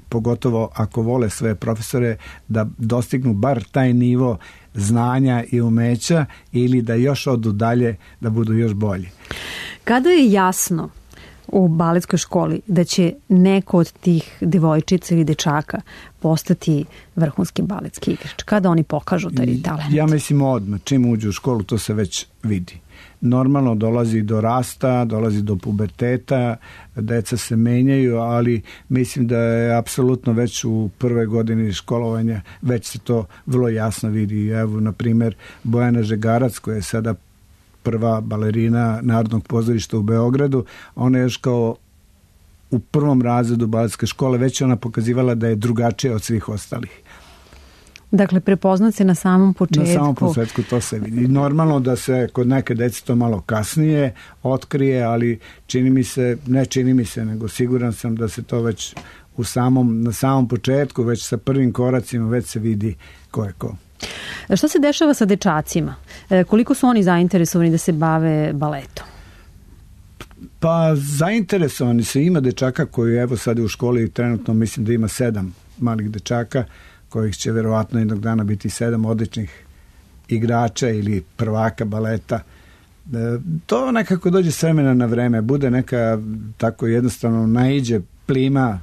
pogotovo ako vole svoje profesore, da dostignu bar taj nivo znanja i umeća ili da još odu dalje, da budu još bolji. Kada je jasno u baletskoj školi da će neko od tih devojčica ili dečaka postati vrhunski baletski igrač? Kada oni pokažu taj talent? Ja mislim odmah, čim uđu u školu, to se već vidi. Normalno dolazi do rasta, dolazi do puberteta, deca se menjaju, ali mislim da je apsolutno već u prvoj godini školovanja već se to vrlo jasno vidi. Evo, na primjer, Bojana Žegarac, koja je sada prva balerina Narodnog pozorišta u Beogradu, ona je još kao u prvom razredu baletske škole već ona pokazivala da je drugačija od svih ostalih. Dakle, prepoznat se na samom početku. Na samom početku to se vidi. Normalno da se kod neke dece to malo kasnije otkrije, ali čini mi se, ne čini mi se, nego siguran sam da se to već u samom, na samom početku, već sa prvim koracima, već se vidi ko je ko. Šta se dešava sa dečacima? Koliko su oni zainteresovani da se bave baletom? Pa zainteresovani se, ima dečaka koji evo sad u školi trenutno mislim da ima sedam malih dečaka kojih će verovatno jednog dana biti sedam odličnih igrača ili prvaka baleta. To nekako dođe s vremena na vreme, bude neka tako jednostavno naiđe plima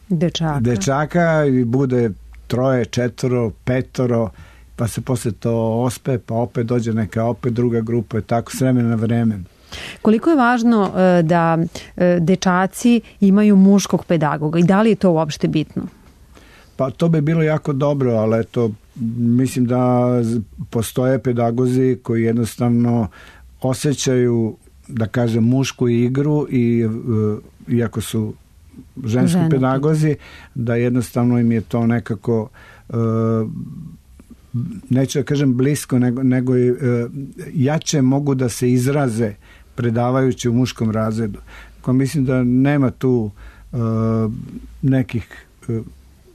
dečaka, dečaka i bude troje, četvoro, petoro, pa se posle to ospe, pa opet dođe neka opet druga grupa, tako s vremena na vreme. Koliko je važno da dečaci imaju muškog pedagoga i da li je to uopšte bitno? Pa to bi bilo jako dobro, ali eto, mislim da postoje pedagozi koji jednostavno osjećaju, da kažem, mušku igru i iako su ženski Žene. pedagozi, da jednostavno im je to nekako neću da kažem blisko, nego, nego i jače mogu da se izraze predavajući u muškom razredu. Ko mislim da nema tu nekih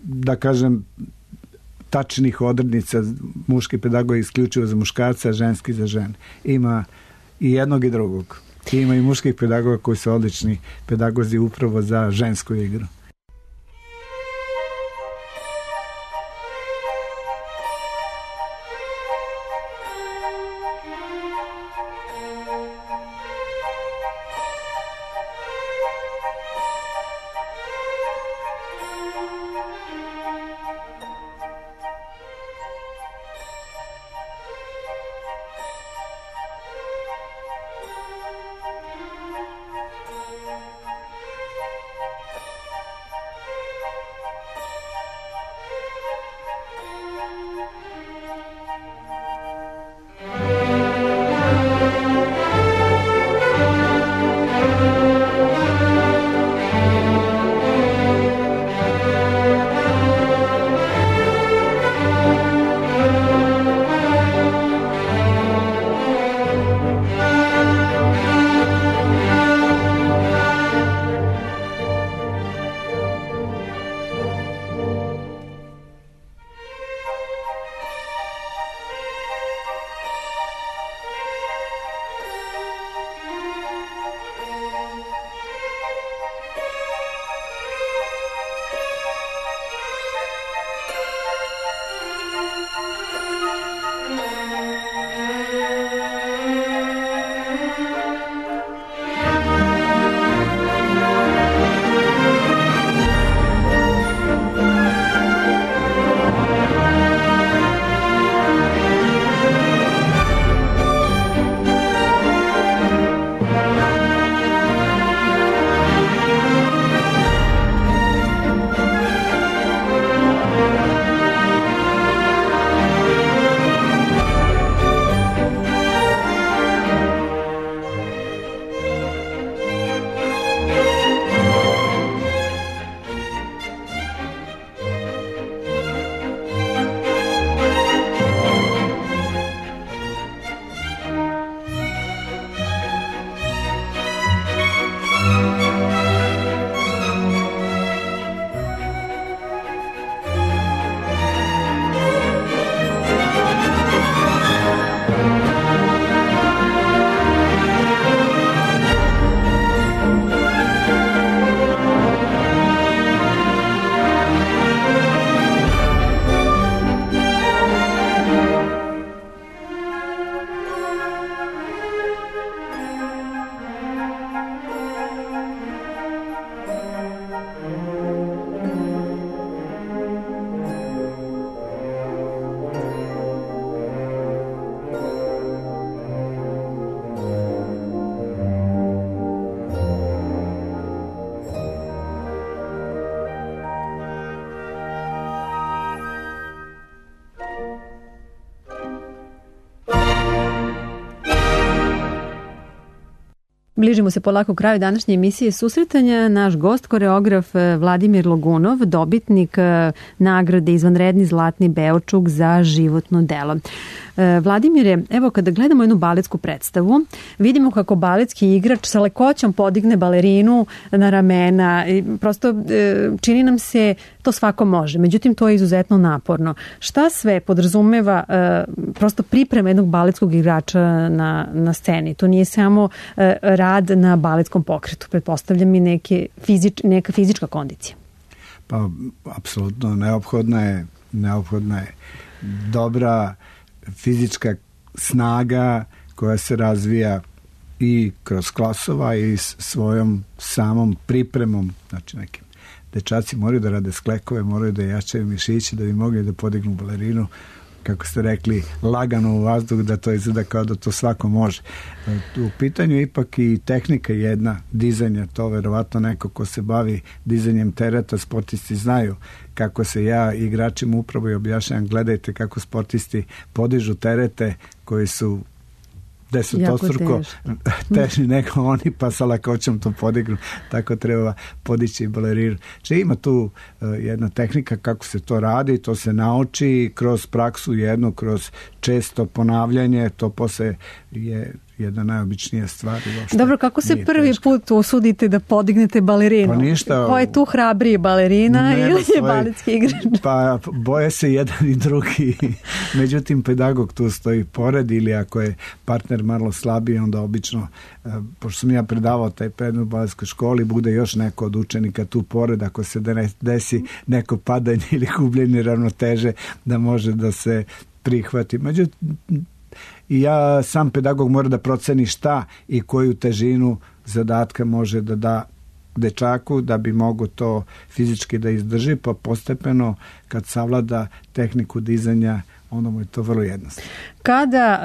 da kažem tačnih odrednica, muški pedagog je isključivo za muškarca, a ženski za žene. Ima i jednog i drugog. Ima i muških pedagoga koji su odlični pedagozi upravo za žensku igru. Bližimo se polako kraju današnje emisije Susretanja. Naš gost, koreograf Vladimir Logunov, dobitnik nagrade Izvanredni zlatni Beočuk za životno delo. Vladimire, evo kada gledamo jednu baletsku predstavu, vidimo kako baletski igrač sa lekoćom podigne balerinu na ramena i prosto čini nam se to svako može, međutim to je izuzetno naporno. Šta sve podrazumeva prosto priprema jednog baletskog igrača na, na sceni? To nije samo rad na baletskom pokretu, pretpostavljam i neke fizič, neka fizička kondicija. Pa, apsolutno, neophodna je, neophodna je dobra fizička snaga koja se razvija i kroz klasova i svojom samom pripremom. Znači nekim dečaci moraju da rade sklekove, moraju da jačaju mišići da bi mogli da podignu balerinu, kako ste rekli, lagano u vazduh, da to izgleda kao da to svako može. U pitanju je ipak i tehnika jedna, dizanja, to verovatno neko ko se bavi dizanjem tereta, sportisti znaju kako se ja igračima upravo i objašnjam, gledajte kako sportisti podižu terete koji su desetostruko teži nego oni, pa sa lakoćom to podignu. Tako treba podići balerinu. Če ima tu uh, jedna tehnika kako se to radi, to se nauči kroz praksu jednu, kroz često ponavljanje, to posle je jedna najobičnija stvar. Dobro, kako se prvi teško. put usudite da podignete balerinu? Pa ništa. Ko je tu hrabriji, balerina ili je svoj, baletski igrač? Pa boje se jedan i drugi. Međutim, pedagog tu stoji pored, ili ako je partner malo slabiji, onda obično, pošto sam ja predavao taj predmet u baletskoj školi, bude još neko od učenika tu pored, ako se desi neko padanje ili gubljenje ravnoteže, da može da se prihvati. Međutim, i ja sam pedagog mora da proceni šta i koju težinu zadatka može da da dečaku da bi mogo to fizički da izdrži, pa postepeno kad savlada tehniku dizanja, onda mu je to vrlo jednostavno. Kada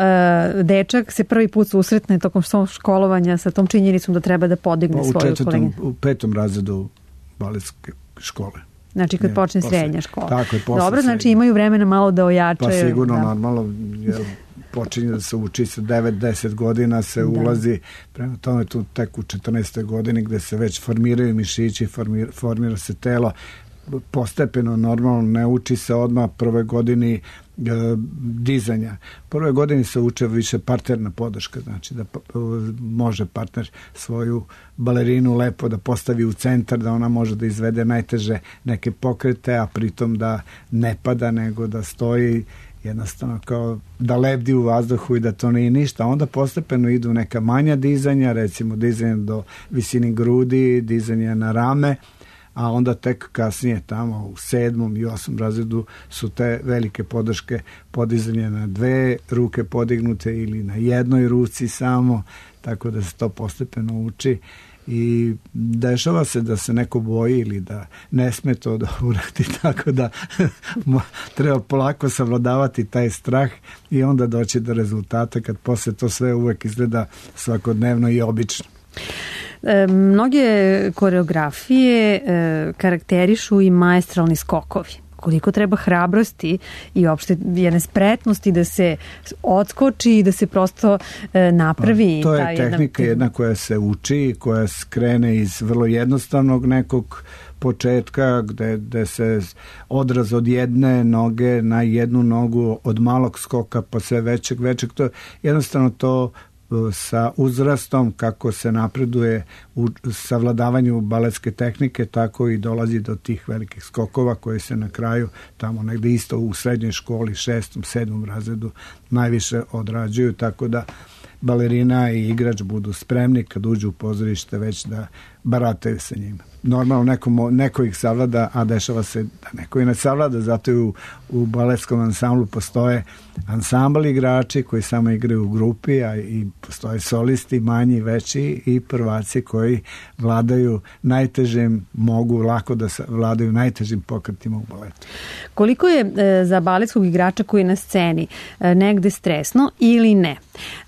uh, dečak se prvi put susretne tokom svog školovanja sa tom činjenicom da treba da podigne pa, svoju koleginu? U petom razredu baletske škole. Znači kad ne, počne posle, srednja škola. Tako je, posle Dobro, srednja. Znači imaju vremena malo da ojačaju. Pa sigurno, da. normalno, jer počinje da se uči sa devet deset godina, se da. ulazi, prema tome tu tek u četrnaestoj godini gde se već formiraju mišići, formira, formira se telo, postepeno, normalno, ne uči se odmah prve godini e, dizanja. Prve godini se uče više parterna podrška, znači da p- može partner svoju balerinu lepo da postavi u centar, da ona može da izvede najteže neke pokrete, a pritom da ne pada, nego da stoji jednostavno kao da lebdi u vazduhu i da to nije ništa. Onda postepeno idu neka manja dizanja, recimo dizanje do visini grudi, dizanje na rame, a onda tek kasnije tamo u sedmom i osmom razredu su te velike podrške podizanje na dve ruke podignute ili na jednoj ruci samo, tako da se to postepeno uči i dešava se da se neko boji ili da ne sme to da uradi, tako da treba polako savladavati taj strah i onda doći do rezultata kad posle to sve uvek izgleda svakodnevno i obično. E, mnoge koreografije e, karakterišu i maestralni skokovi. Koliko treba hrabrosti i uopšte jedne spretnosti da se odskoči i da se prosto e, napravi. Pa, to je ta tehnika jedna, jedna koja se uči, koja skrene iz vrlo jednostavnog nekog početka gde, gde se odraz od jedne noge na jednu nogu, od malog skoka pa sve većeg, većeg. To, jednostavno to sa uzrastom kako se napreduje u savladavanju baletske tehnike, tako i dolazi do tih velikih skokova koji se na kraju tamo negde isto u srednjoj školi, šestom, sedmom razredu najviše odrađuju, tako da balerina i igrač budu spremni kad uđu u pozorište već da barataju sa njima. Normalno neko, neko ih savlada, a dešava se da neko i ne savlada, zato i u, u baletskom ansamblu postoje ansambl igrači koji samo igraju u grupi, a i postoje solisti, manji, veći i prvaci koji vladaju najtežim, mogu lako da vladaju najtežim pokretima u baletu. Koliko je e, za baletskog igrača koji je na sceni e, negde stresno ili ne?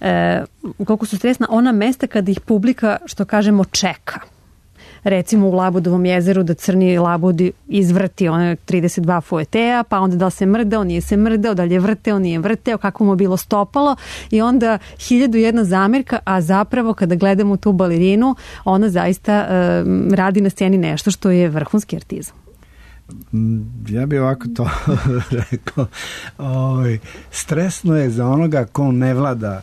E, koliko su stresna ona mesta kada ih publika, što kažemo, čeka? recimo u Labudovom jezeru da crni labud izvrti one trideset dva fuetea, pa onda da li se mrdao, nije se mrdao, da li je vrteo, nije vrteo, kako mu bilo stopalo i onda hiljadu jedna zamerka, a zapravo kada gledamo tu balerinu, ona zaista um, radi na sceni nešto što je vrhunski artizam. Ja bih ovako to rekao. Oj, stresno je za onoga ko ne vlada,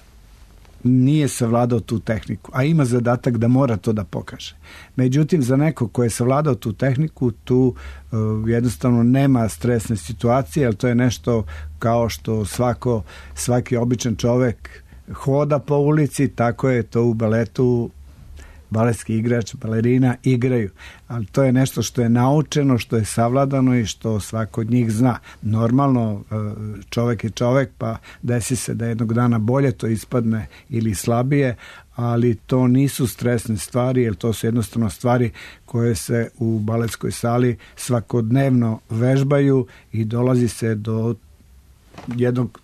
nije savladao tu tehniku, a ima zadatak da mora to da pokaže. Međutim, za neko ko je savladao tu tehniku, tu uh, jednostavno nema stresne situacije, jer to je nešto kao što svako, svaki običan čovek hoda po ulici, tako je to u baletu. Baletski igrač, balerina igraju, ali to je nešto što je naučeno, što je savladano i što svako od njih zna. Normalno čovek je čovek, pa desi se da jednog dana bolje to ispadne ili slabije, ali to nisu stresne stvari, jer to su jednostavno stvari koje se u baletskoj sali svakodnevno vežbaju i dolazi se do jednog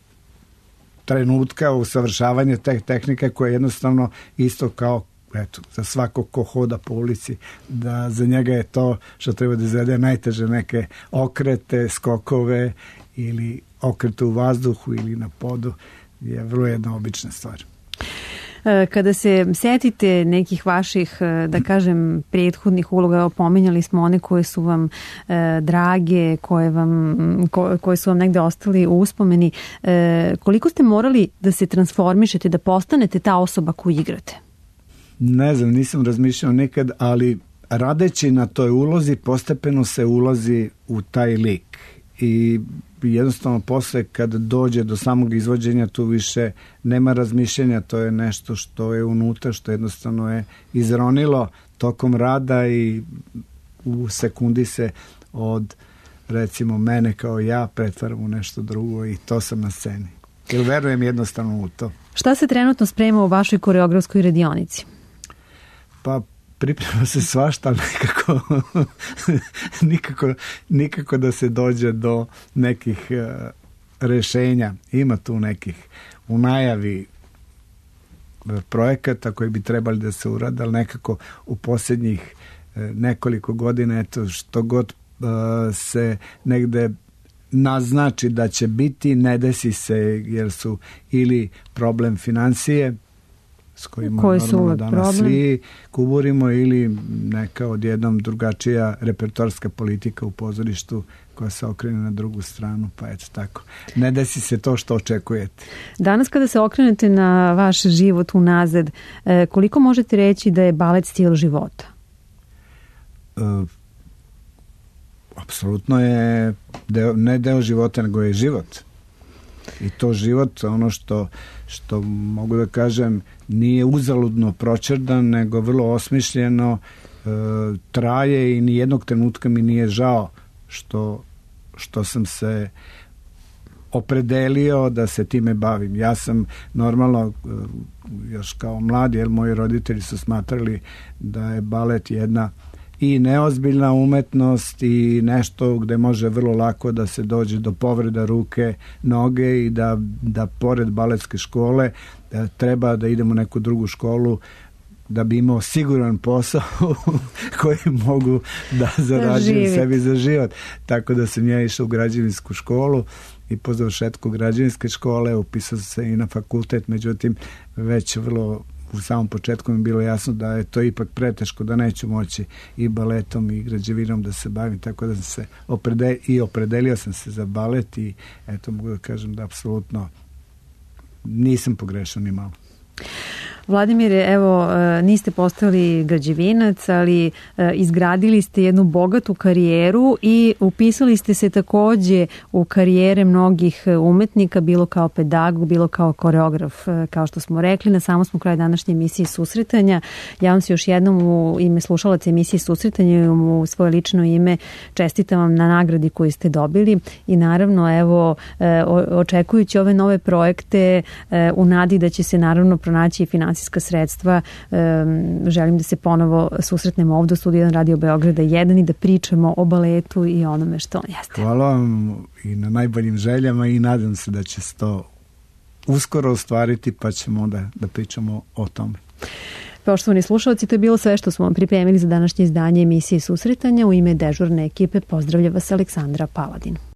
trenutka usavršavanja te tehnike koja je jednostavno isto kao eto, za svako ko hoda po ulici, da za njega je to što treba da izvede najteže neke okrete, skokove ili okrete u vazduhu ili na podu, je vrlo jedna obična stvar. Kada se setite nekih vaših, da kažem, prethodnih uloga, pominjali smo one koje su vam e, drage, koje, vam, ko, koje su vam negde ostali u uspomeni, e, koliko ste morali da se transformišete, da postanete ta osoba koju igrate? Ne znam, nisam razmišljao nikad, ali radeći na toj ulozi postepeno se ulazi u taj lik i jednostavno posle kad dođe do samog izvođenja tu više nema razmišljenja, to je nešto što je unutra, što jednostavno je izronilo tokom rada i u sekundi se od recimo mene kao ja pretvaram u nešto drugo i to sam na sceni. Jer verujem jednostavno u to. Šta se trenutno sprema u vašoj koreografskoj radionici? Pa priprema se svašta, nekako, nikako, nikako da se dođe do nekih uh, rešenja. Ima tu nekih u najavi projekata koji bi trebali da se urade, ali nekako u posljednjih uh, nekoliko godina, eto, što god uh, se negde naznači da će biti, ne desi se, jer su ili problem financije, s kojima koji normalno danas problem? Svi kuburimo, ili neka odjednom drugačija repertoarska politika u pozorištu koja se okrene na drugu stranu, pa eto tako. Ne desi se to što očekujete. Danas kada se okrenete na vaš život unazad, koliko možete reći da je balet stil života? Uh, apsolutno je deo, ne deo života, nego je život. I to život, ono što, što mogu da kažem, nije uzaludno pročerdan, nego vrlo osmišljeno, e, traje i nijednog trenutka mi nije žao što, što sam se opredelio da se time bavim. Ja sam normalno još kao mlad, jer moji roditelji su smatrali da je balet jedna i neozbiljna umetnost i nešto gde može vrlo lako da se dođe do povreda ruke, noge i da, da pored baletske škole da treba da idemo u neku drugu školu da bi imao siguran posao koji mogu da zarađujem sebi za život. Tako da sam ja išao u građevinsku školu i po završetku građevinske škole upisao se i na fakultet, međutim već vrlo u samom početku mi bilo jasno da je to ipak preteško, da neću moći i baletom i građevinom da se bavim, tako da sam se opredelio i opredelio sam se za balet i eto mogu da kažem da apsolutno nisam pogrešao ni malo. Vladimire, evo, niste postali građevinac, ali izgradili ste jednu bogatu karijeru i upisali ste se takođe u karijere mnogih umetnika, bilo kao pedagog, bilo kao koreograf, kao što smo rekli. Na samom smo kraju današnje emisije Susretanja. Ja vam se još jednom u ime slušalaca emisije Susretanja i u svoje lično ime čestitam vam na nagradi koju ste dobili i naravno, evo, očekujući ove nove projekte u nadi da će se naravno pronaći i finansijska sredstva, želim da se ponovo susretnemo ovdje u studiju jedan Radio Beograda jedan i da pričamo o baletu i onome što on jeste. Hvala vam i na najboljim željama i nadam se da će se to uskoro ostvariti, pa ćemo onda da pričamo o tome. Poštovani slušalci, to je bilo sve što smo vam pripremili za današnje izdanje emisije Susretanja. U ime dežurne ekipe pozdravlja vas Aleksandra Paladin.